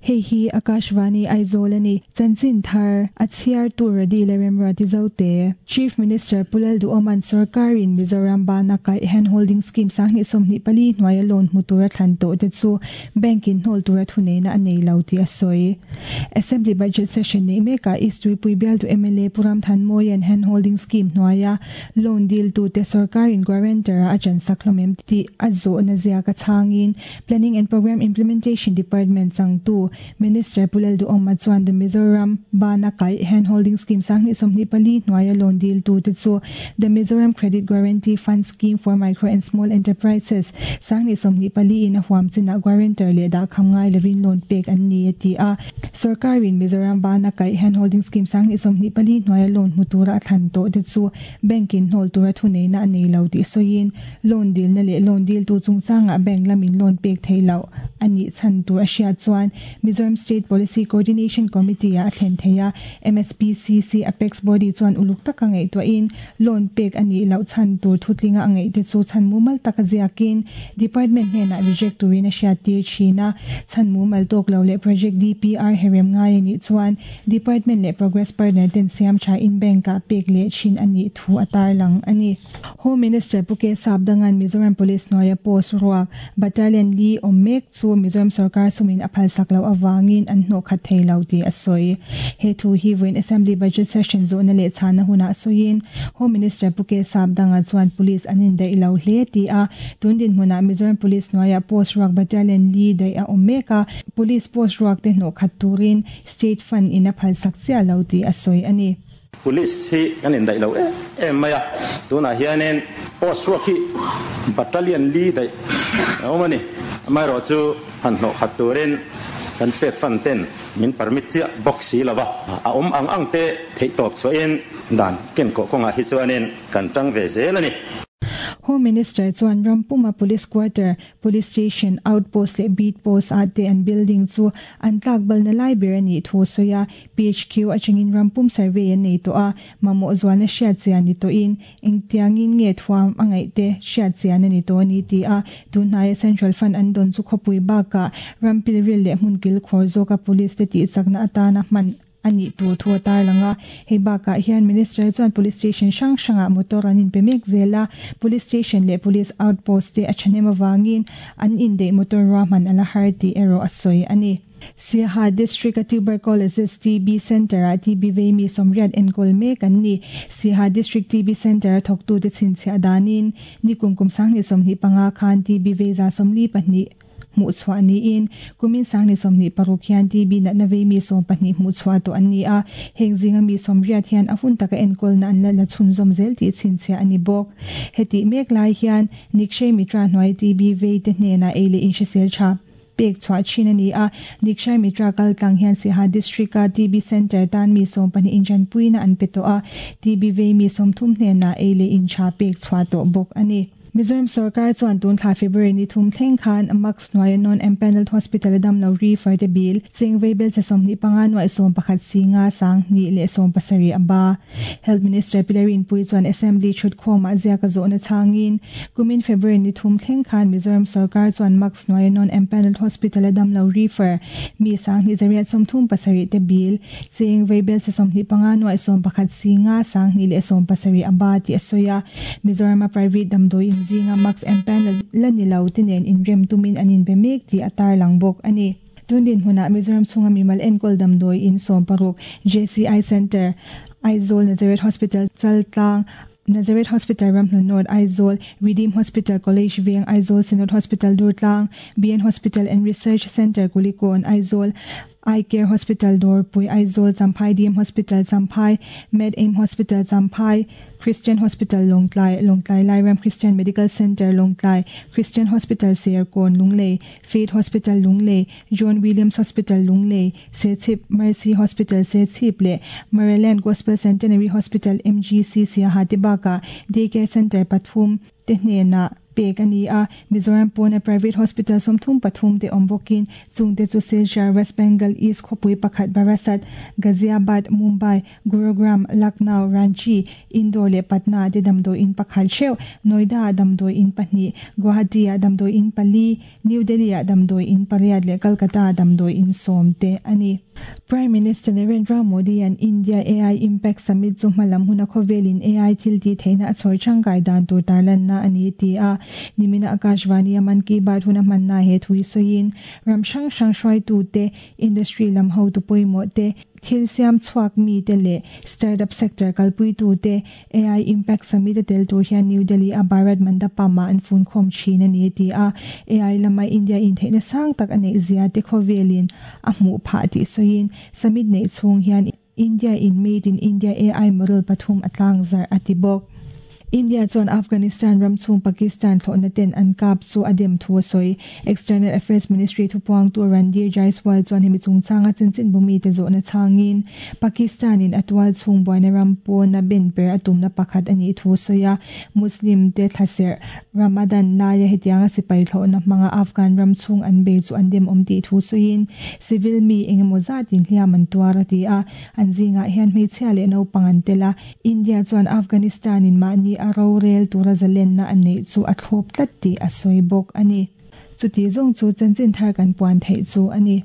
Hei hi Akashvani Aizawl a ni. Chanchin thar a chhiartu Radi leh Remruati Zote. Chief Minister Pu Lalduhawma'n sorkarin Mizoram bana kaih Hand Holding Scheme 2024 hnuaia loan hmu tura thlan tawh te chu Bank in hnawl tura thuneihna a nei lo tih a sawi. Assembly Budget Session neih mekah East Tuipui bialtu mla Pu Ramthanmawia'n Hand Holding Scheme hnuaia loan diltute sorkarin guarantor-a a chansak hlawm em tih a zawhna ziak a chhangin Planning and Programme Implementation Department changtu Minister Pu Lalduhawma chuan The Mizoram Bana Kaih Hand Holding Scheme 2024 hnuaia loan diltute chu The Mizoram Credit Guarantee Fund Scheme for Micro and Small Enterprises 2024 in a huam chinah guarantor leh dahkham ngai lovin loan pek an ni a ti a. Sorkarin Mizoram Bana Kaih Hand Holding Scheme 2024 hnuaia loan hmu tura a thlan tawhte chu Bank-in hnawl tura thuneihna a nei lo tih sawiin Loan dilna leh loan diltu chungchangah bank lamin loan pek theih loh a nih chhan tur a hriat chuan Mizoram State Policy Coordination Committee-ah a thlen thei a, MSPCC Apex Body chuan uluk taka ngaihtuahin loan pek a nih loh chhan tur thutlinga a ngaihte chu chhan mumal taka ziakin Department hnenah reject turin a hriattir thin a, chhan mumal tawk lo leh Project DPR herem ngai a nih chuan Department leh Progress Partner ten siam thain bank-ah pek leh thin a nih thu a tarlang a ni. Home Minister Pu K Sapdanga'n Mizoram Police hnuaia post ruak Battalion li awm mek chu Mizoram sorkar sumin a phalsak loh avangin an hnawh khat thei lo tih a sawi. He thu hi vawiin Assembly Budget Session zawhna leh chhana hunah sawiin Home Minister Pu K Sapdanga chuan Police an indaih lo hle ti a, tun dinhmunah Mizoram Police hnuaia post ruak Battalion li daih a awm mek a, Police post ruak te hnawh khat turin State Fund in a phalsak chiah lo tih a sawi a ni. Police hi kan indaih lo em em mai a, tunah hianin post ruak hi battalion li daih a awm a ni. Amaherawhchu han hnawh khat turin kan state fund ten min permit chiah bawk si lo va, a awm ang ang te theihtawp chhuahin dan kenkawh kawngah hi chuanin kan tang ve zel a ni. Home Minister chuan Rampuma Police Quarter Police Station, Outpost leh Beat Post ah te an building chu an tlak balna lai ber a nih thu a sawi a. PHQ atangin ram pum survey an nei tawh a, mamawh zualna hriat chian ni tawhin engtiangin nge thuam a ngaih te hriat chian a ni tawh a ni ti a. Tunhnaia Central Fund an dawn chu khawpui bakah ram pilril leh hmun kilkhawr zawka Police te tihchakna atana hman a nih tur thu a tarlang a. Hei bakah hian Minister chuan Police Station hrang hrangah motor an inpe mek zel a, Police Station leh Police Outpost te a thahnem avangin an indeih motor ruahman a la har tih erawh a sawi a ni. Siaha District a Tuberculosis, TB, Centre-ah TB vei mi sawmriat enkawl mek an ni. Siaha District TB Centre a thawktute chhinchhiah danin nikum kum 2025 khan TB vei 42 hmuhchhuah niin kumin 2026 hian TB natna vei mi 12 hmuhchhuah tawh an ni a, heng zinga mi 80 hian a hun taka enkawlna an la la chhunzawm zel tih chhinchhiah a ni bawk. Hetih mek lai hian Nikshay Mitra hnuai TB vei te hnenah ei leh inhrisel tha pek chhuah thin a ni a, Nikshay Mitra kal tlang hian Siaha District-a TB Centre tan mi 12 inṭanpuina an pe tawh a, TB vei mi 30 hnenah ei leh in tha pek chhuah tawh bawk a ni. Mizoram sorkar chuan tun thla February ni thum thleng khan Max hnuaia non-empanelled hospital a damlo refer te bill cheng vei belchhe 25 nuaih 11 si nga sang hnih leh 17 a ba. Health Minister Pi Rinpui chuan Assembly thutkhawmah ziak a zawhna chhangin kumin February ni thum thleng khan Mizoram sorkar chuan Max hnuaia non-empanelled hospital a damlo refer mi 2837 te bill Cheng vei belchhe 25 nuaih 11 si nga 2070 a ba tih a sawi a. Mizorama private damdawi inzinga Max and Panel la ni lo te nen inrem tumin an inbe mek tih a tarlang bawk a ni. Tun dinhmunah Mizoram chhunga mimal enkawl damdawi in 60, JCI Centre, Aizawl Nazareth Hospital, Chaltlang, Nazareth Hospital Ramhlun North, Aizawl, Redeem Hospital College Veng, Aizawl Synod Hospital Durtlang, BN Hospital and Research Centre Kulikawn, Aizawl, Eye Care Hospital Dawrpui, Aizawl, Champhai DM Hospital Champhai, Med Aim Hospital Champhai, Christian Hospital Lawngtlai, Lawngtlai Lairam Christian Medical Centre Lawngtlai, Christian Hospital Serkawn, Lunglei, Faith Hospital Lunglei, John Williams Hospital Lunglei, Serchhip Mercy Hospital Serchhip leh Maryland Gospel Centenary Hospital MGC Siaha te bakah Day Care Centre pathum te hnenah. pek a ni a, Mizoram pawna private hospital 33 te awm bawkin chungte chu Silchar, West Bengal East khawpui pakhat Barasat, Ghaziabad, Mumbai, Gurugram, Lucknow, Ranchi, Indore leh Patna te damdawi in pakhat theuh, Noida ah damdawi in pahnih, Guwahati ah damdawi in pali, New Delhi ah damdawi in pariat leh Kolkata ah damdawi in sawm te a ni. Prime Minister Narendra Modi-a'n India AI Impact Summit chu hmalam huna khawvelin AI thil tih theihna a chhawr changkai dan tur tarlanna a ni ti a. Nimina Akashvani-a Mann Ki Baat huna hmanna he thu hi sawiin, ram hrang hrang hruaitute, industry lam hotu pawimawh te, thil siam chhuak mite leh startup sector kalpuitute AI Impact Summit a tel tur hian New Delhi a Bharat Mandapam ah an funkhawm thin a ni a ti a. AI lama India intheihna sang tak a neih zia te khawvelin a hmuh phah tih sawiin Summit neih chhung hian India in Made in India AI model pathum a tlangzarh a ti bawk. India chuan Afghanistan ram chhung Pakistan thlawhna ten an kap chu a dem thu a sawi. External Affairs Ministry thupuangtu Randhir Jaiswal chuan hemi chungchanga chanchinbu mite zawhna chhangin Pakistan in a tual chhung buaina ram pawna ben per a tumna pakhat a nih thu a sawi a. Muslim te thlaserh Ramadan laia hetianga sipai thlawhna hmanga Afghan ram chhung an bei chu an demawm tih thu sawiin civil mi engemaw zatin hliam an tuar a ti a. An zingah hian hmeichhia leh naupang an tel a. India chuan Afghanistan in mahni a rorel tura zalenna a neih chu a thlawp tlat tih a sawi bawk a ni. Chuti zawng chu chanchin thar kan puan theih chu a ni.